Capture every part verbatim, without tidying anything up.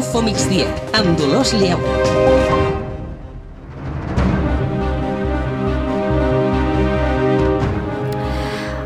Info Migdia, amb Dolors Lleu.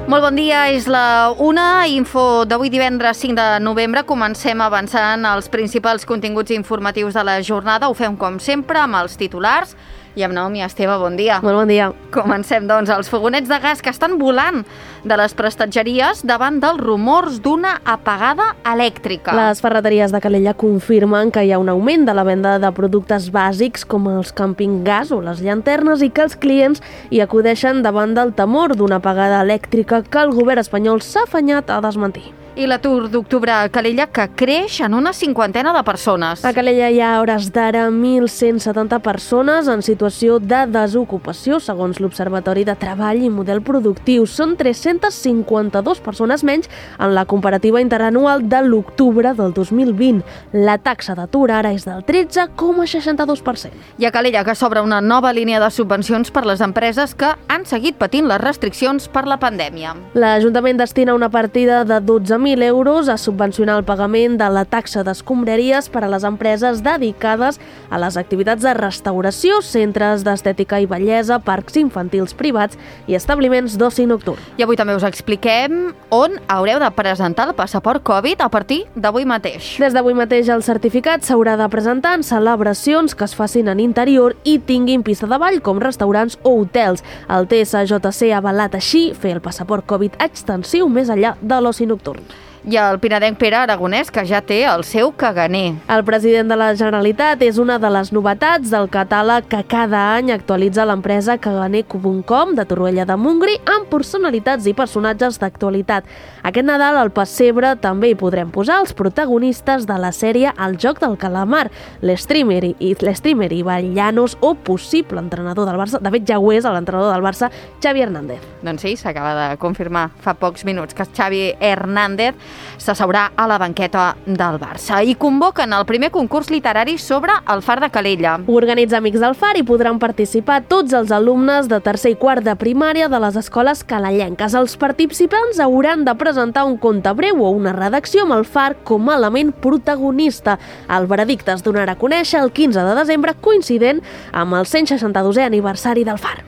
Molt bon dia, és la una, info d'avui divendres cinc de novembre. Comencem avançant els principals continguts informatius de la jornada. Ho fem com sempre amb els titulars i amb Naomi Esteve. Bon dia. Molt bon dia. Comencem, doncs, els fogonets de gas que estan volant de les prestatgeries davant dels rumors d'una apagada elèctrica. Les ferreteries de Calella confirmen que hi ha un augment de la venda de productes bàsics com els camping gas o les llanternes i que els clients hi acudeixen davant del temor d'una apagada elèctrica que el govern espanyol s'ha afanyat a desmentir. I l'atur d'octubre a Calella que creix en una cinquantena de persones. A Calella hi ha a hores d'ara mil cent setanta persones en situació de desocupació, segons l'Observatori de Treball i Model Productiu. Són tres-centes cinquanta-dues persones menys en la comparativa interanual de l'octubre del dos mil vint. La taxa d'atur ara és del tretze coma seixanta-dos per cent. I a Calella que s'obre una nova línia de subvencions per les empreses que han seguit patint les restriccions per la pandèmia. L'Ajuntament destina una partida de dotze mil euros a subvencionar el pagament de la taxa d'escombraries per a les empreses dedicades a les activitats de restauració, centres d'estètica i bellesa, parcs infantils privats i establiments d'oci nocturn. I avui també us expliquem on haureu de presentar el passaport Covid a partir d'avui mateix. Des d'avui mateix el certificat s'haurà de presentar en celebracions que es facin en interior i tinguin pista de ball com restaurants o hotels. El T S J C ha avalat així fer el passaport Covid extensiu més enllà de l'oci nocturn. I el pinadenc Pere Aragonès, que ja té el seu caganer. El president de la Generalitat és una de les novetats del catàleg que cada any actualitza l'empresa caganer punt com de Torroella de Montgrí amb personalitats i personatges d'actualitat. Aquest Nadal al pessebre també hi podrem posar els protagonistes de la sèrie El joc del calamar, l'streamer i l'streamer Ibai Llanos o possible entrenador del Barça, de fet ja ho és l'entrenador del Barça, Xavi Hernández. Doncs sí, s'acaba de confirmar fa pocs minuts que Xavi Hernández s'asseurà a la banqueta del Barça. I convoquen el primer concurs literari sobre el Far de Calella. Ho organitza Amics del Far i podran participar tots els alumnes de tercer i quart de primària de les escoles calellenques. Els participants hauran de presentar un conte breu o una redacció amb el Far com a element protagonista. El veredicte es donarà a conèixer el quinze de desembre, coincident amb el cent seixanta-dosè aniversari del Far.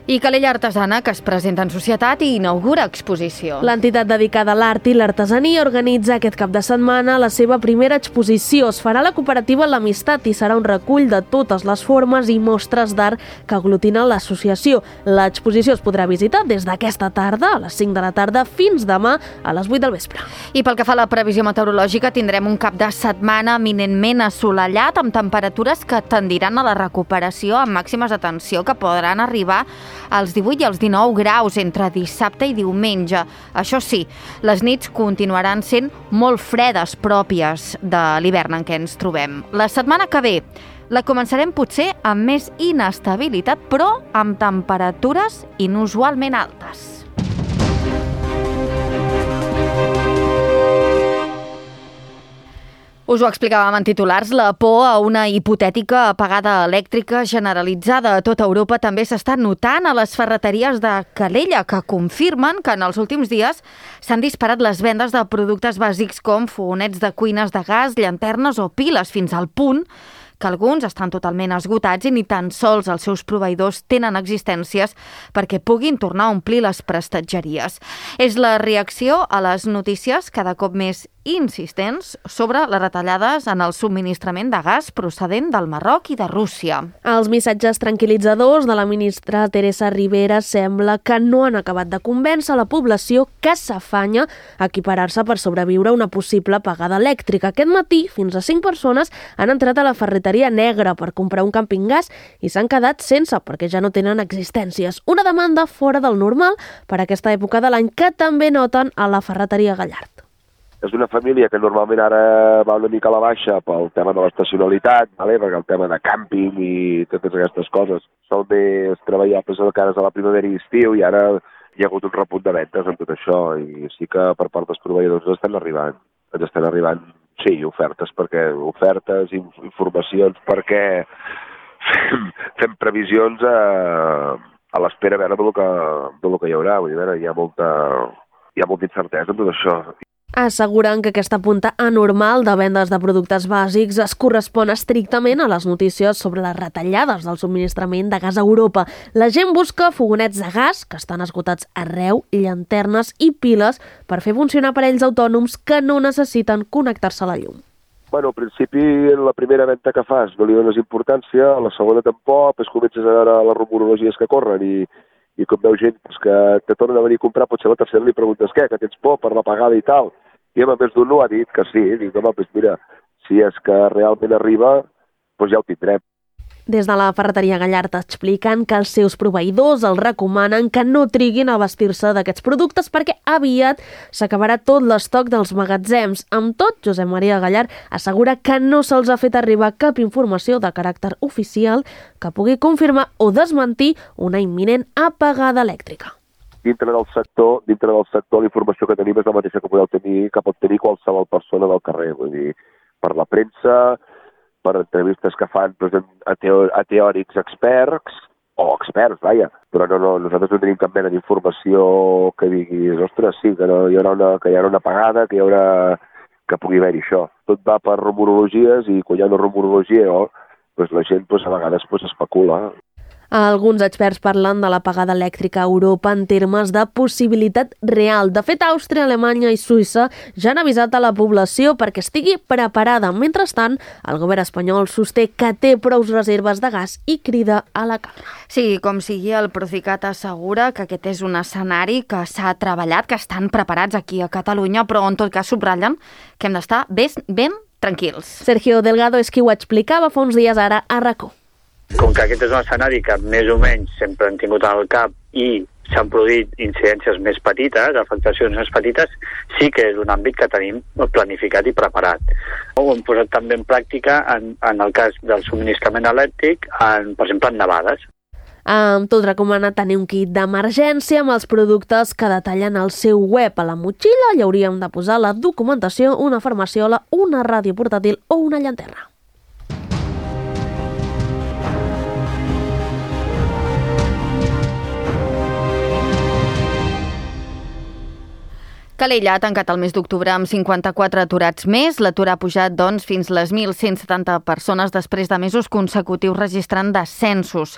I Calella Artesana, que es presenta en societat i inaugura exposició. L'entitat dedicada a l'art i l'artesania organitza aquest cap de setmana la seva primera exposició. Es farà a la cooperativa L'Amistat i serà un recull de totes les formes i mostres d'art que aglutinen l'associació. L'exposició es podrà visitar des d'aquesta tarda, a les cinc de la tarda, fins demà a les vuit del vespre. I pel que fa a la previsió meteorològica, tindrem un cap de setmana eminentment assolellat amb temperatures que tendiran a la recuperació amb màximes de tensió que podran arribar als divuit i als dinou graus entre dissabte i diumenge. Això sí, les nits continuaran sent molt fredes, pròpies de l'hivern en què ens trobem. La setmana que ve la començarem potser amb més inestabilitat, però amb temperatures inusualment altes. Us ho explicàvem en titulars, la por a una hipotètica apagada elèctrica generalitzada a tota Europa també s'està notant a les ferreteries de Calella, que confirmen que en els últims dies s'han disparat les vendes de productes bàsics com fogonets de cuines de gas, llanternes o piles, fins al punt que alguns estan totalment esgotats i ni tan sols els seus proveïdors tenen existències perquè puguin tornar a omplir les prestatgeries. És la reacció a les notícies cada cop més insistents sobre les retallades en el subministrament de gas procedent del Marroc i de Rússia. Els missatges tranquil·litzadors de la ministra Teresa Ribera sembla que no han acabat de convèncer la població que s'afanya a equiparar-se per sobreviure a una possible apagada elèctrica. Aquest matí, fins a cinc persones han entrat a la ferreteria negra per comprar un camping gas i s'han quedat sense perquè ja no tenen existències. Una demanda fora del normal per aquesta època de l'any que també noten a la ferreteria Gallard. És una família que normalment ara va una mica a la baixa pel tema de l'estacionalitat, vale? Perquè el tema de càmping i totes aquestes coses són més treballables de cares a la primavera i estiu i ara hi ha hagut un repunt de ventes en tot això i sí que per part dels proveïdors ens estan arribant, ens estan arribant, sí, ofertes, perquè ofertes, informacions, perquè fem, fem previsions a, a l'espera a veure del que, del que hi haurà, vull dir, hi ha molta, hi ha molta incertesa en tot això. Asseguren que aquesta punta anormal de vendes de productes bàsics es correspon estrictament a les notícies sobre les retallades del subministrament de gas a Europa. La gent busca fogonets de gas, que estan esgotats arreu, llanternes i piles per fer funcionar aparells autònoms que no necessiten connectar-se a la llum. Bueno, al principi, la primera venda que fas no li dones importància, a la segona tampoc, després comences a veure les rumorologies que corren i, i com veus gent pues, que te tornen a venir a comprar, potser la tercera li preguntes què, que tens por per la pagada i tal. I a més d'un no ha dit que sí, dic, home, doncs mira, si és que realment arriba, doncs ja ho tindrem. Des de la ferreteria Gallard expliquen que els seus proveïdors els recomanen que no triguin a vestir-se d'aquests productes perquè aviat s'acabarà tot l'estoc dels magatzems. Amb tot, Josep Maria Gallard assegura que no se'ls ha fet arribar cap informació de caràcter oficial que pugui confirmar o desmentir una imminent apagada elèctrica. Dintre del sector, dintre del sector, la informació que tenim és la mateixa que podeu tenir, que pot tenir qualsevol persona del carrer, vull dir, per la premsa, per entrevistes que fan doncs, a, teo, a teòrics experts, o experts, vaja, però no, no, nosaltres no tenim cap mena d'informació que diguis, ostres, sí, que no, hi haurà una, que hi haurà una apagada, que hi haurà, que pugui haver-hi això. Tot va per rumorologies i quan hi ha una rumorologia, oh, doncs la gent doncs, a vegades doncs, especula. Alguns experts parlen de l'apagada elèctrica a Europa en termes de possibilitat real. De fet, Àustria, Alemanya i Suïssa ja han avisat a la població perquè estigui preparada. Mentrestant, el govern espanyol sosté que té prous reserves de gas i crida a la calma. Sí, com sigui, el Procicat assegura que aquest és un escenari que s'ha treballat, que estan preparats aquí a Catalunya, però en tot cas subratllen que hem d'estar ben, ben tranquils. Sergio Delgado és qui ho explicava fa uns dies ara a RACó. Com que aquest és un escenari que més o menys sempre han tingut al cap i s'han produït incidències més petites, afectacions més petites, sí que és un àmbit que tenim planificat i preparat. Ho hem posat també en pràctica en, en el cas del subministrament elèctric, en, per exemple, en nevades. Amb tot recomana tenir un kit d'emergència amb els productes que detallen al seu web. A la motxilla hi hauríem de posar la documentació, una farmaciola, una ràdio portàtil o una llanterna. Calella ha tancat el mes d'octubre amb cinquanta-quatre aturats més. L'atur ha pujat, doncs, fins les mil cent setanta persones després de mesos consecutius registrant descensos.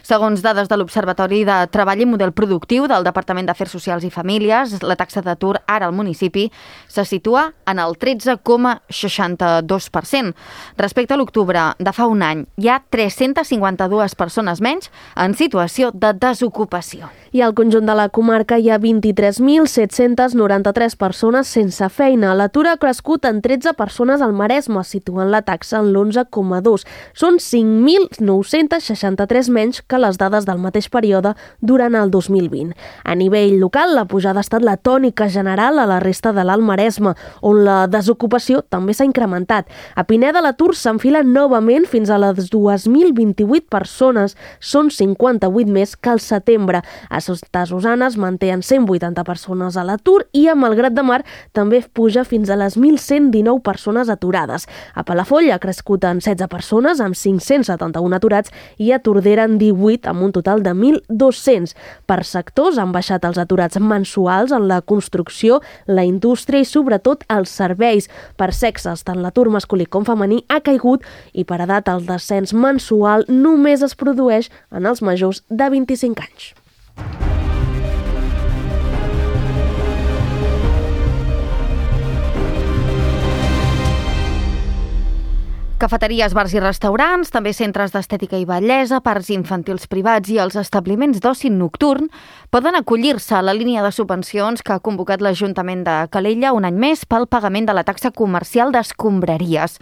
Segons dades de l'Observatori de Treball i Model Productiu del Departament d'Afers Socials i Famílies, la taxa d'atur ara al municipi se situa en el tretze coma seixanta-dos per cent. Respecte a l'octubre de fa un any, hi ha tres-centes cinquanta-dues persones menys en situació de desocupació. I al conjunt de la comarca hi ha vint-i-tres mil set-cents noranta-tres persones sense feina. L'atur ha crescut en tretze persones al Maresme, situant la taxa en l'onze coma dos. Són cinc mil nou-cents seixanta-tres menys que les dades del mateix període durant el dos mil vint. A nivell local, la pujada ha estat la tònica general a la resta de l'Alt Maresme, on la desocupació també s'ha incrementat. A Pineda l'atur s'enfila novament fins a les dos mil vint-i-vuit persones, són cinquanta-vuit més que al setembre. A Santa es manté en cent vuitanta persones a l'atur i a Malgrat de Mar també puja fins a les mil cent dinou persones aturades. A Palafolls ha crescut en setze persones amb cinc-cents setanta-un aturats i a Tordera en divuit amb un total de mil dos-cents. Per sectors han baixat els aturats mensuals en la construcció, la indústria i sobretot els serveis. Per sexes, tant l'atur masculí com femení ha caigut i per edat el descens mensual només es produeix en els majors de vint-i-cinc anys. Cafeteries, bars i restaurants, també centres d'estètica i bellesa, parcs infantils privats i els establiments d'oci nocturn poden acollir-se a la línia de subvencions que ha convocat l'Ajuntament de Calella un any més pel pagament de la taxa comercial d'escombraries.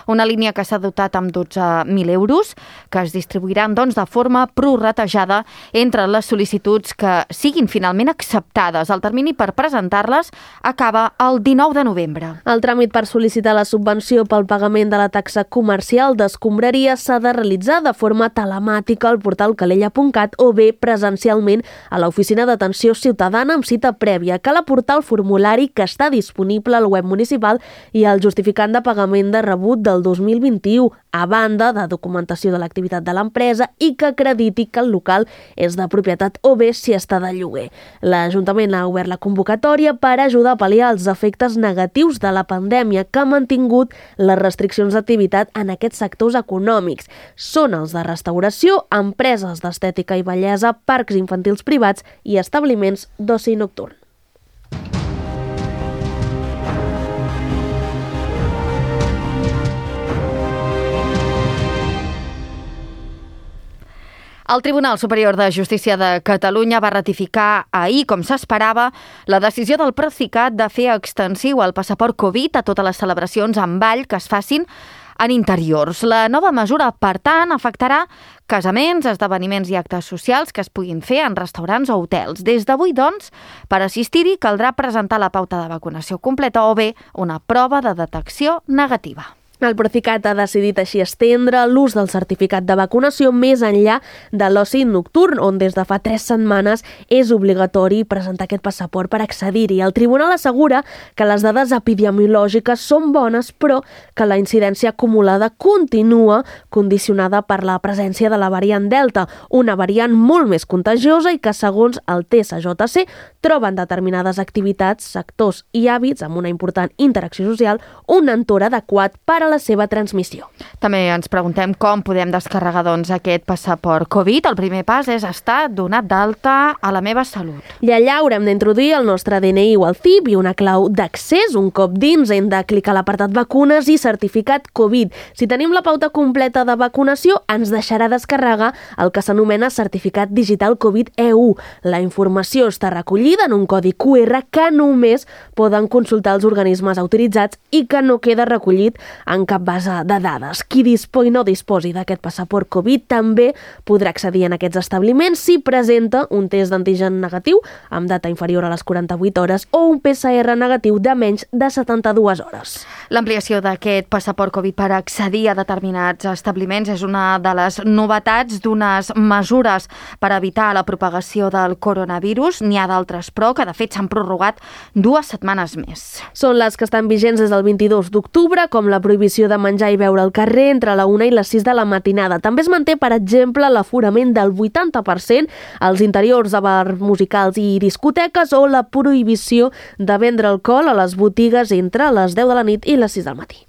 Una línia que s'ha dotat amb dotze mil euros, que es distribuiran doncs, de forma prorratejada entre les sol·licituds que siguin finalment acceptades. El termini per presentar-les acaba el dinou de novembre. El tràmit per sol·licitar la subvenció pel pagament de la taxa comercial d'escombraria s'ha de realitzar de forma telemàtica al portal calella punt cat o bé presencialment a l'Oficina d'Atenció Ciutadana amb cita prèvia. Cal aportar el formulari que està disponible al web municipal i el justificant de pagament de rebut del del dos mil vint-i-u, a banda de documentació de l'activitat de l'empresa i que acrediti que el local és de propietat o bé si està de lloguer. L'Ajuntament ha obert la convocatòria per ajudar a pal·liar els efectes negatius de la pandèmia que ha mantingut les restriccions d'activitat en aquests sectors econòmics. Són els de restauració, empreses d'estètica i bellesa, parcs infantils privats i establiments d'oci nocturn. El Tribunal Superior de Justícia de Catalunya va ratificar ahir, com s'esperava, la decisió del Procicat de fer extensiu el passaport Covid a totes les celebracions amb ball que es facin en interiors. La nova mesura, per tant, afectarà casaments, esdeveniments i actes socials que es puguin fer en restaurants o hotels. Des d'avui, doncs, per assistir-hi caldrà presentar la pauta de vacunació completa o bé una prova de detecció negativa. El Procicat ha decidit així estendre l'ús del certificat de vacunació més enllà de l'oci nocturn, on des de fa tres setmanes és obligatori presentar aquest passaport per accedir-hi. El tribunal assegura que les dades epidemiològiques són bones, però que la incidència acumulada continua condicionada per la presència de la variant Delta, una variant molt més contagiosa i que, segons el T S J C, troben determinades activitats, sectors i hàbits amb una important interacció social un entorn adequat per a la seva transmissió. També ens preguntem com podem descarregar doncs, aquest passaport Covid. El primer pas és estar donat d'alta a la meva salut. I allà haurem d'introduir el nostre D N I o el C I P i una clau d'accés. Un cop dins hem de clicar a l'apartat vacunes i certificat Covid. Si tenim la pauta completa de vacunació, ens deixarà descarregar el que s'anomena certificat digital Covid E U. La informació està recollida en un codi Q R que només poden consultar els organismes autoritzats i que no queda recollit en cap base de dades. Qui dispo i no disposi d'aquest passaport Covid també podrà accedir en aquests establiments si presenta un test d'antigen negatiu amb data inferior a les quaranta-vuit hores o un P C R negatiu de menys de setanta-dues hores. L'ampliació d'aquest passaport Covid per accedir a determinats establiments és una de les novetats d'unes mesures per evitar la propagació del coronavirus. N'hi ha d'altres, però, que de fet s'han prorrogat dues setmanes més. Són les que estan vigents des del vint-i-dos d'octubre, com la prohibició de menjar i beure al carrer entre la una i les sis de la matinada. També es manté, per exemple, l'aforament del vuitanta per cent als interiors de bars musicals i discoteques o la prohibició de vendre alcohol a les botigues entre les deu de la nit i les sis del matí.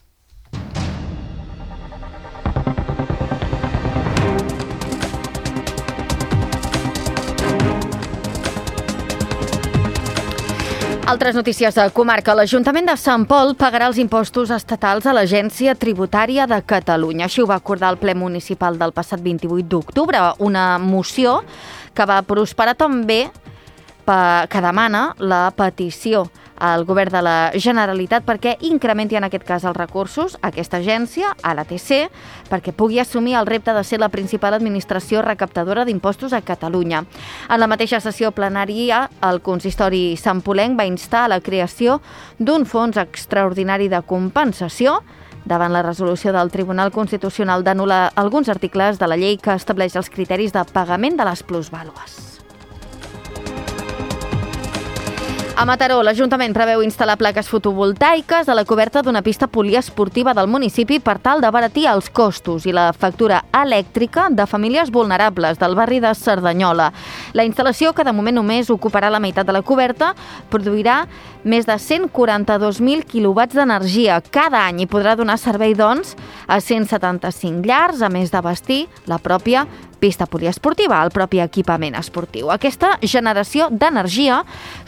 Altres notícies de comarca. L'Ajuntament de Sant Pol pagarà els impostos estatals a l'Agència Tributària de Catalunya. Així ho va acordar el ple municipal del passat vint-i-vuit d'octubre, una moció que va prosperar també que demana la petició al govern de la Generalitat perquè incrementi en aquest cas els recursos a aquesta agència, a l'A T C, perquè pugui assumir el repte de ser la principal administració recaptadora d'impostos a Catalunya. En la mateixa sessió plenària, el consistori santpolenc va instar a la creació d'un fons extraordinari de compensació davant la resolució del Tribunal Constitucional d'anul·lar alguns articles de la llei que estableix els criteris de pagament de les plusvàlues. A Mataró, l'Ajuntament preveu instal·lar plaques fotovoltaiques a la coberta d'una pista poliesportiva del municipi per tal d'abaratir els costos i la factura elèctrica de famílies vulnerables del barri de Cerdanyola. La instal·lació, que de moment només ocuparà la meitat de la coberta, produirà més de cent quaranta-dos mil quilowatts d'energia cada any i podrà donar servei, doncs, a cent setanta-cinc llars, a més d'abastir la pròpia pista poliesportiva, el propi equipament esportiu. Aquesta generació d'energia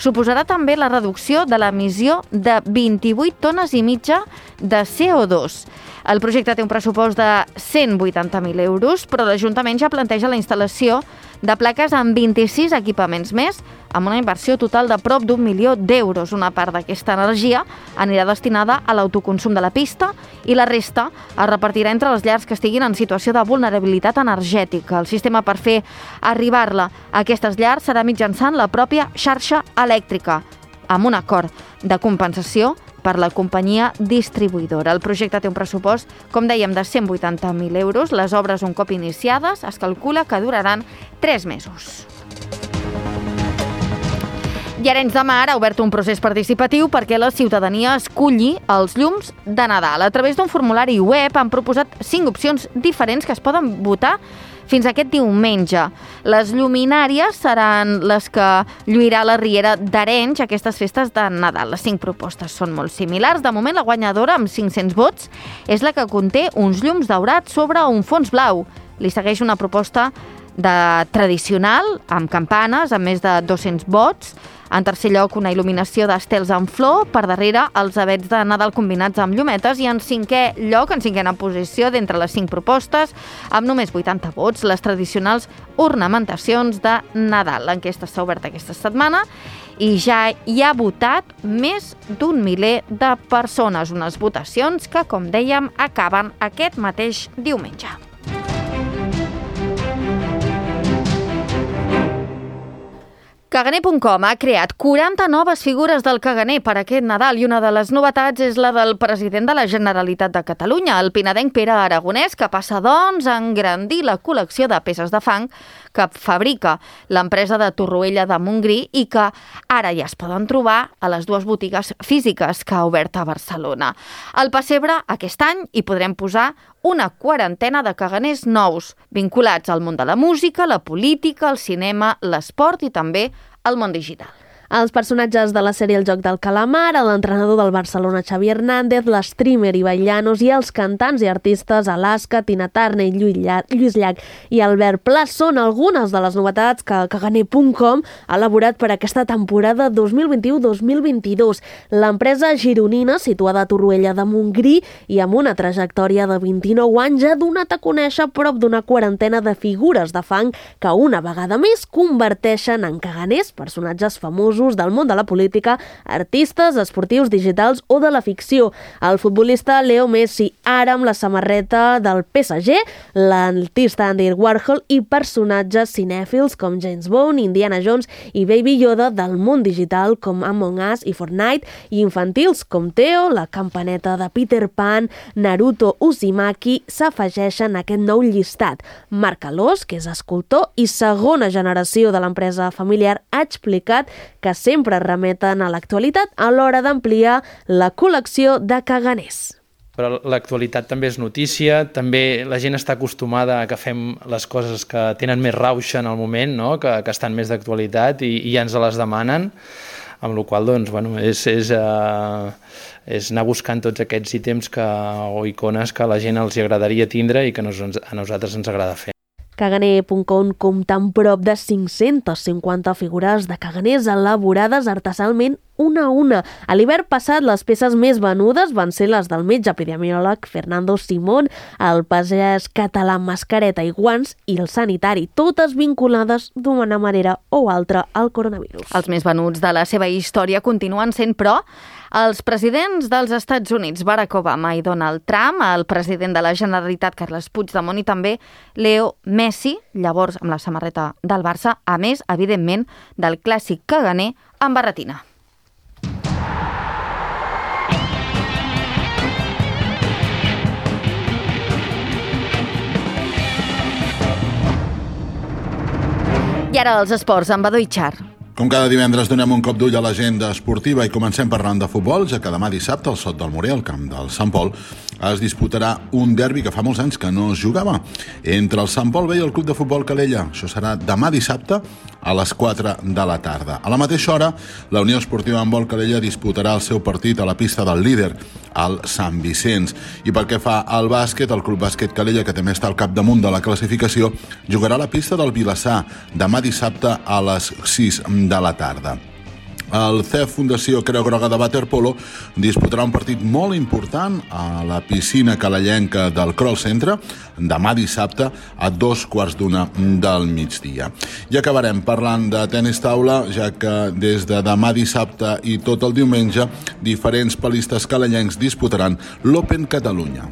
suposarà també la reducció de l'emissió de vint-i-vuit tones i mitja de C O dos. El projecte té un pressupost de cent vuitanta mil euros, però l'Ajuntament ja planteja la instal·lació de plaques amb vint-i-sis equipaments més, amb una inversió total de prop d'un milió d'euros. Una part d'aquesta energia anirà destinada a l'autoconsum de la pista i la resta es repartirà entre les llars que estiguin en situació de vulnerabilitat energètica. El sistema per fer arribar-la a aquestes llars serà mitjançant la pròpia xarxa elèctrica, amb un acord de compensació per la companyia distribuïdora. El projecte té un pressupost, com dèiem, de cent vuitanta mil euros. Les obres, un cop iniciades, es calcula que duraran tres mesos. I Arenys de Mar ha obert un procés participatiu perquè la ciutadania esculli els llums de Nadal. A través d'un formulari web han proposat cinc opcions diferents que es poden votar fins aquest diumenge. Les lluminàries seran les que lluirà la Riera d'Arenys aquestes festes de Nadal. Les cinc propostes són molt similars. De moment, la guanyadora, amb cinc-cents vots, és la que conté uns llums daurats sobre un fons blau. Li segueix una proposta de tradicional, amb campanes, amb més de dos-cents vots. En tercer lloc, una il·luminació d'estels en flor, per darrere els avets de Nadal combinats amb llumetes, i en cinquè lloc, en cinquena posició, d'entre les cinc propostes, amb només vuitanta vots, les tradicionals ornamentacions de Nadal. L'enquesta s'ha obert aquesta setmana i ja hi ha votat més d'un miler de persones, unes votacions que, com dèiem, acaben aquest mateix diumenge. Caganer punt com ha creat quaranta noves figures del caganer per aquest Nadal i una de les novetats és la del president de la Generalitat de Catalunya, el pinadenc Pere Aragonès, que passa, doncs, a engrandir la col·lecció de peces de fang que fabrica l'empresa de Torroella de Montgrí i que ara ja es poden trobar a les dues botigues físiques que ha obert a Barcelona. Al pessebre, aquest any, hi podrem posar una quarantena de caganers nous, vinculats al món de la música, la política, el cinema, l'esport i també al món digital. Els personatges de la sèrie El joc del calamar, l'entrenador del Barcelona Xavi Hernández, l'streamer Ibai Llanos i els cantants i artistes Alaska, Tina Turner, Lluís Llach i Albert Pla són algunes de les novetats que Caganer punt com ha elaborat per aquesta temporada dos mil vint-i-u dos mil vint-i-dos. L'empresa gironina, situada a Torroella de Montgrí i amb una trajectòria de vint-i-nou anys, ha donat a conèixer prop d'una quarantena de figures de fang que una vegada més converteixen en caganers personatges famosos del món de la política, artistes, esportius, digitals o de la ficció. El futbolista Leo Messi, ara amb la samarreta del P S G, l'artista Andy Warhol i personatges cinèfils com James Bond, Indiana Jones i Baby Yoda del món digital com Among Us i Fortnite, i infantils com Theo, la campaneta de Peter Pan, Naruto, Uzumaki s'afegeixen a aquest nou llistat. Marc Alós, que és escultor i segona generació de l'empresa familiar, ha explicat que sempre remeten a l'actualitat a l'hora d'ampliar la col·lecció de caganers. Però l'actualitat també és notícia, també la gent està acostumada a que fem les coses que tenen més rauxa en el moment, no? que, que estan més d'actualitat i, i ja ens les demanen, amb la qual cosa doncs, bueno, és, és, uh, és anar buscant tots aquests ítems que, o icones que a la gent els agradaria tindre i que nos, a nosaltres ens agrada fer. Caganer punt com compta amb prop de cinc-centes cinquanta figures de caganers elaborades artesanalment una a una. A l'hivern passat, les peces més venudes van ser les del metge epidemiòleg Fernando Simón, el pagès català Mascareta i Guants i el sanitari, totes vinculades d'una manera o altra al coronavirus. Els més venuts de la seva història continuen sent, però, els presidents dels Estats Units, Barack Obama i Donald Trump, el president de la Generalitat, Carles Puigdemont, i també Leo Messi, llavors amb la samarreta del Barça, a més, evidentment, del clàssic caganer amb barretina. I ara els esports, amb Badó i Char. Com cada divendres donem un cop d'ull a l'agenda esportiva i comencem parlant de futbol, ja que demà dissabte al Sot del Morer, al camp del Sant Pol, es disputarà un derbi que fa molts anys que no es jugava entre el Sant Pol B i el Club de Futbol Calella. Això serà demà dissabte a les quatre de la tarda. A la mateixa hora, la Unió Esportiva Handbol Calella disputarà el seu partit a la pista del líder, al Sant Vicenç. I pel que fa al bàsquet, el Club Bàsquet Calella, que també està al capdamunt de la classificació, jugarà a la pista del Vilassar demà dissabte a les sis de la tarda. El C E F Fundació Creu Groga de Waterpolo disputarà un partit molt important a la piscina calellenca del Kroll Centre demà dissabte a dos quarts d'una del migdia. I acabarem parlant de tenis taula, ja que des de demà dissabte i tot el diumenge diferents palistes calellencs disputaran l'Open Catalunya.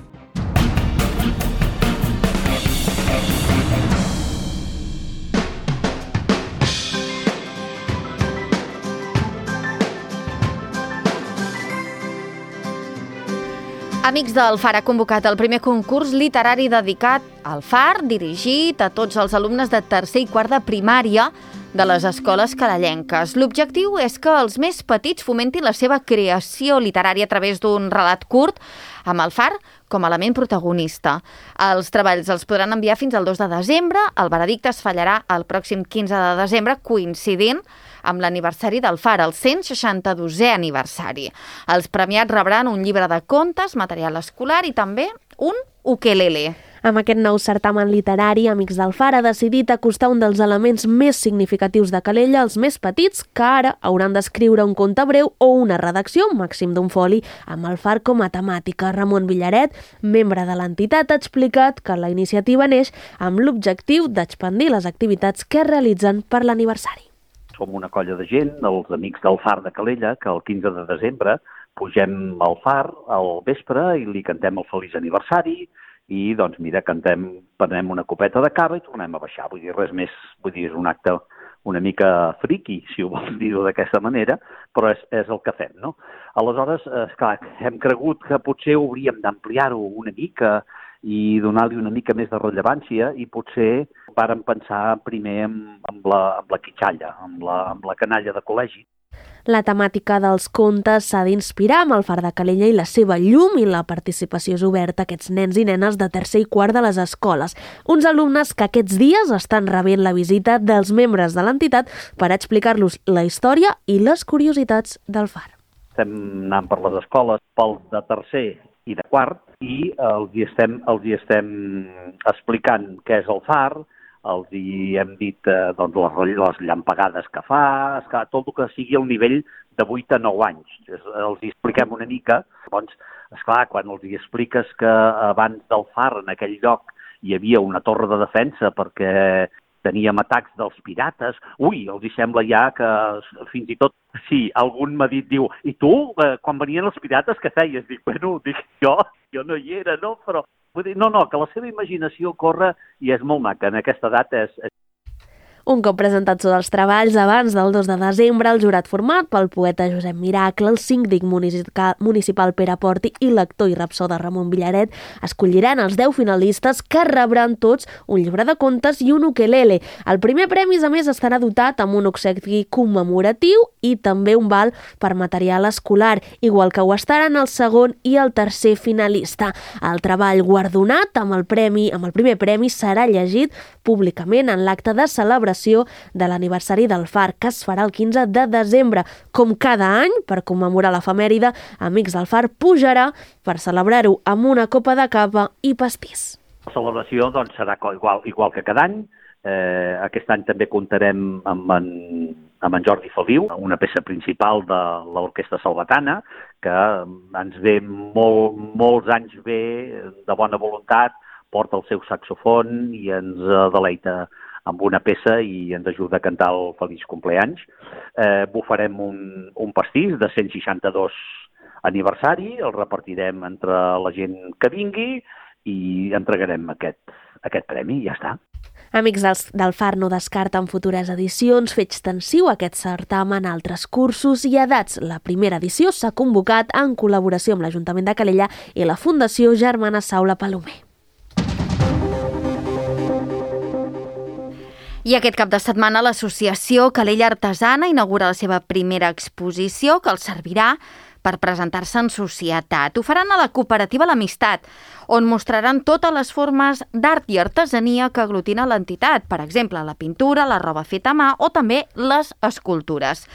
Amics del Far ha convocat el primer concurs literari dedicat al Far, dirigit a tots els alumnes de tercer i quart de primària de les escoles calellenques. L'objectiu és que els més petits fomentin la seva creació literària a través d'un relat curt amb el far com a element protagonista. Els treballs els podran enviar fins al dos de desembre. El veredicte es fallarà el pròxim quinze de desembre, coincidint amb l'aniversari del far, el cent seixanta-dosè aniversari. Els premiats rebran un llibre de contes, material escolar i també un ukelele. Amb aquest nou certamen literari, Amics del Far ha decidit acostar un dels elements més significatius de Calella als més petits, que ara hauran d'escriure un conte breu o una redacció, màxim d'un foli, amb el far com a temàtica. Ramon Villaret, membre de l'entitat, ha explicat que la iniciativa neix amb l'objectiu d'expandir les activitats que es realitzen per l'aniversari. Som una colla de gent, els Amics del Far de Calella, que el quinze de desembre pugem al far al vespre i li cantem el feliç aniversari, i doncs mira, cantem, prenem una copeta de cava i tornem a baixar. Vull dir, res més, vull dir, és un acte una mica friqui, si ho vols dir-ho d'aquesta manera, però és, és el que fem, no? Aleshores, esclar, hem cregut que potser hauríem d'ampliar-ho una mica i donar-li una mica més de rellevància i potser vàrem pensar primer amb, amb, la, amb la quitxalla, amb la, amb la canalla de col·legi. La temàtica dels contes s'ha d'inspirar amb el far de Calella i la seva llum, i la participació és oberta a aquests nens i nenes de tercer i quart de les escoles. Uns alumnes que aquests dies estan rebent la visita dels membres de l'entitat per explicar-los la història i les curiositats del far. Estem anant per les escoles, pels de tercer i de quart, i els hi estem, els hi estem explicant què és el far. Els hi hem dit eh, doncs, les, les llampegades que fa, esclar, tot el que sigui al nivell de vuit a nou anys. Els hi expliquem una mica. Doncs, esclar, quan els hi expliques que abans del far en aquell lloc hi havia una torre de defensa perquè teníem atacs dels pirates, ui, els hi sembla ja que fins i tot, sí, algun m'ha dit, diu, i tu, eh, quan venien els pirates, què feies? Dic, bueno, dic, jo, jo no hi era, no? Però vull dir, no, no, que la seva imaginació corre i és molt maca. En aquesta edat és... és... Un cop presentats tots els treballs, abans del dos de desembre, el jurat format pel poeta Josep Miracle, el síndic municipal Pere Porti i l'actor i rapsoda Ramon Villaret escolliran els deu finalistes, que rebran tots un llibre de contes i un ukelele. El primer premi, a més, estarà dotat amb un obsequi commemoratiu i també un val per material escolar, igual que ho estaran el segon i el tercer finalista. El treball guardonat amb el premi, amb el primer premi serà llegit públicament en l'acte de celebració de l'aniversari del far, que es farà el quinze de desembre. Com cada any, per commemorar l'efemèride, Amics del Far pujarà per celebrar-ho amb una copa de cava i pastís. La celebració doncs, serà igual, igual que cada any. Eh, aquest any també comptarem amb en, amb en Jordi Feliu, una peça principal de l'Orquestra Salvatana, que ens ve molt, molts anys bé, de bona voluntat, porta el seu saxofon i ens deleita amb una peça i ens ajuda a cantar el Feliç Compleanys. Eh, bufarem un, un pastís de cent seixanta-dos aniversari, el repartirem entre la gent que vingui i entregarem aquest, aquest premi i ja està. Amics del, del Far no descarten futures edicions, fer extensiu aquest certamen a altres cursos i edats. La primera edició s'ha convocat en col·laboració amb l'Ajuntament de Calella i la Fundació Germana Saula Palomer. I aquest cap de setmana l'associació Calella Artesana inaugura la seva primera exposició, que els servirà per presentar-se en societat. Ho faran a la cooperativa L'Amistat, on mostraran totes les formes d'art i artesania que aglutina l'entitat, per exemple, la pintura, la roba feta a mà o també les escultures.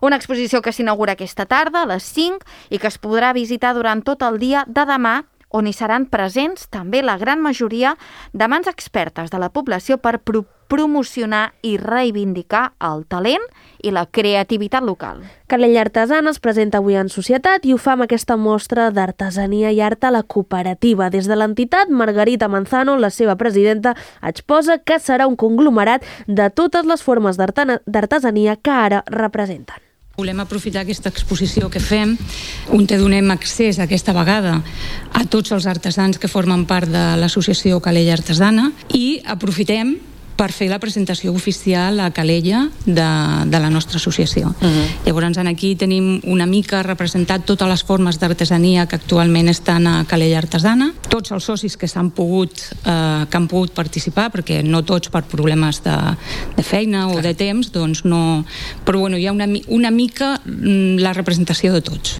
Una exposició que s'inaugura aquesta tarda a les cinc i que es podrà visitar durant tot el dia de demà, on hi seran presents també la gran majoria de mans expertes de la població per pro promocionar i reivindicar el talent i la creativitat local. Calella Artesana es presenta avui en societat i ho fa amb aquesta mostra d'artesania i art a la cooperativa. Des de l'entitat, Margarita Manzano, la seva presidenta, exposa que serà un conglomerat de totes les formes d'artesania que ara representen. Volem aprofitar aquesta exposició que fem, on te donem accés aquesta vegada a tots els artesans que formen part de l'associació Calella Artesana, i aprofitem per fer la presentació oficial a Calella de, de la nostra associació. Uh-huh. Llavors, aquí tenim una mica representat totes les formes d'artesania que actualment estan a Calella Artesana. Tots els socis que s'han pogut, eh, que han pogut participar, perquè no tots per problemes de, de feina o de temps, doncs no... Però bueno, hi ha una, una mica la representació de tots.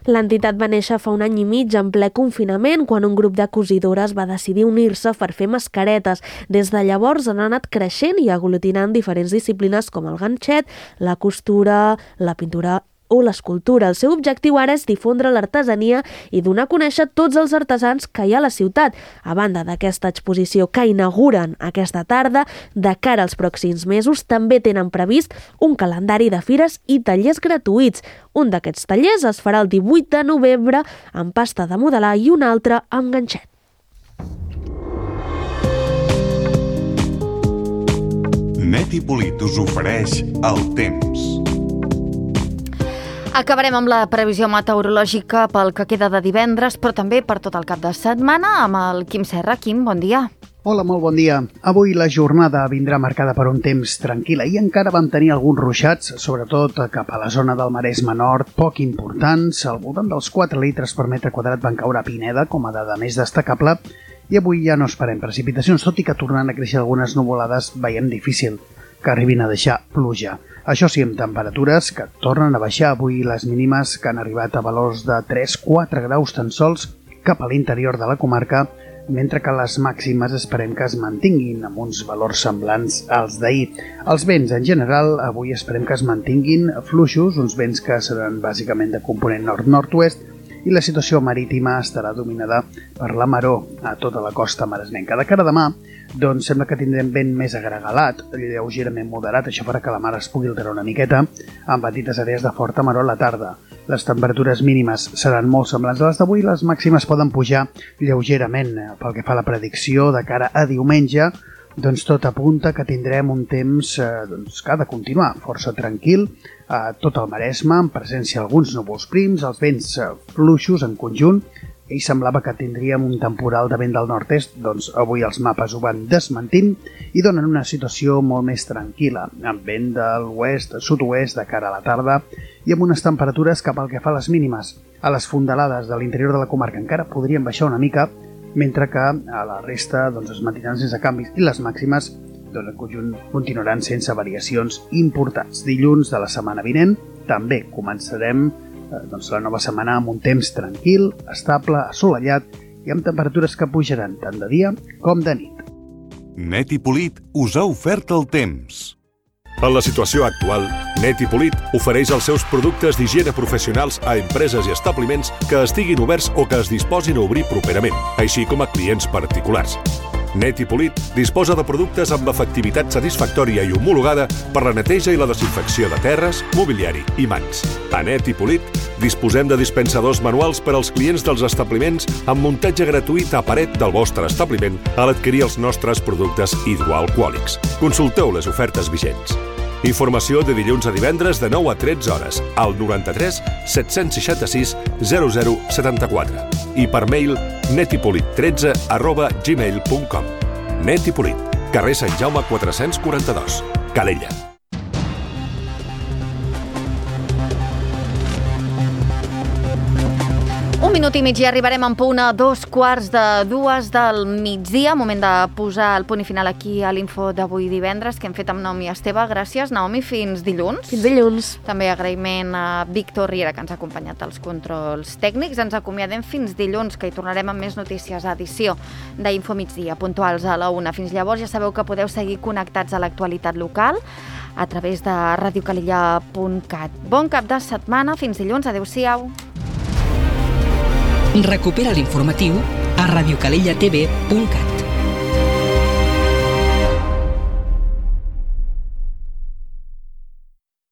L'entitat va néixer fa un any i mig en ple confinament, quan un grup de cosidores va decidir unir-se per fer mascaretes. Des de llavors han anat creixent i aglutinant diferents disciplines com el ganxet, la costura, la pintura o l'escultura. El seu objectiu ara és difondre l'artesania i donar a conèixer tots els artesans que hi ha a la ciutat. A banda d'aquesta exposició que inauguren aquesta tarda, de cara als pròxims mesos també tenen previst un calendari de fires i tallers gratuïts. Un d'aquests tallers es farà el divuit de novembre amb pasta de modelar i un altre amb ganxet. Net i Polit us ofereix el temps. Acabarem amb la previsió meteorològica pel que queda de divendres, però també per tot el cap de setmana amb el Quim Serra. Quim, bon dia. Hola, molt bon dia. Avui la jornada vindrà marcada per un temps tranquil i encara vam tenir alguns ruixats, sobretot cap a la zona del Maresme Nord, poc importants. Al voltant dels quatre litres per metre quadrat van caure a Pineda, com a dada més destacable, i avui ja no esperem precipitacions, tot i que tornant a créixer algunes nuvolades veiem difícil que arribin a deixar pluja. Això sí, amb temperatures que tornen a baixar. Avui les mínimes que han arribat a valors de tres a quatre graus tan sols cap a l'interior de la comarca, mentre que les màximes esperem que es mantinguin amb uns valors semblants als d'ahir. Els vents, en general, avui esperem que es mantinguin fluixos, uns vents que seran bàsicament de component nord-nord-oest, i la situació marítima estarà dominada per la maror a tota la costa maresmenca. De cara a demà, doncs sembla que tindrem vent més agregalat, lleugerament moderat, això farà que la mar es pugui alterar una miqueta, amb petites àrees de forta maror a la tarda. Les temperatures mínimes seran molt semblants a les d'avui, les màximes poden pujar lleugerament. Pel que fa a la predicció de cara a diumenge, doncs tot apunta que tindrem un temps eh, doncs, que ha de continuar força tranquil a tot el Maresme, en presència d'alguns núvols prims, els vents eh, fluixos en conjunt, i semblava que tindríem un temporal de vent del nord-est, doncs avui els mapes ho van desmentint i donen una situació molt més tranquil·la, amb vent de l'oest, sud-oest de cara a la tarda i amb unes temperatures que pel que fa a les mínimes, a les fondalades de l'interior de la comarca encara podrien baixar una mica, mentre que a la resta doncs, es mantindran sense canvis i les màximes doncs, en conjunt continuaran sense variacions importants. Dilluns de la setmana vinent també començarem eh, doncs, la nova setmana amb un temps tranquil, estable, assolellat i amb temperatures que pujaran tant de dia com de nit. Net i Polit us ha ofert el temps. En la situació actual, Net i Polit ofereix els seus productes d'higiene professionals a empreses i establiments que estiguin oberts o que es disposin a obrir properament, així com a clients particulars. Net i Polit disposa de productes amb efectivitat satisfactòria i homologada per la neteja i la desinfecció de terres, mobiliari i mans. A Net i Polit disposem de dispensadors manuals per als clients dels establiments amb muntatge gratuït a paret del vostre establiment a l'adquirir els nostres productes hidroalcohòlics. Consulteu les ofertes vigents. Informació de dilluns a divendres de nou a tretze hores al noranta-tres set-cents seixanta-sis zero zero setanta-quatre i per mail netipolit tretze arroba gmail punt com. Net i Polit, carrer Sant Jaume quatre-cents quaranta-dos, Calella. Un minut i mig i arribarem en punt a dos quarts de dues del migdia. Moment de posar el punt i final aquí a l'info d'avui divendres que hem fet amb Naomi Esteve. Gràcies, Naomi. Fins dilluns. Fins dilluns. També agraïment a Víctor Riera, que ens ha acompanyat als controls tècnics. Ens acomiadem fins dilluns, que hi tornarem amb més notícies a edició d'Info Migdia, puntuals a la una. Fins llavors ja sabeu que podeu seguir connectats a l'actualitat local a través de radiocalella punt cat. Bon cap de setmana. Fins dilluns. Adéu-siau. Recupera l'informatiu a radiocalella t v punt cat.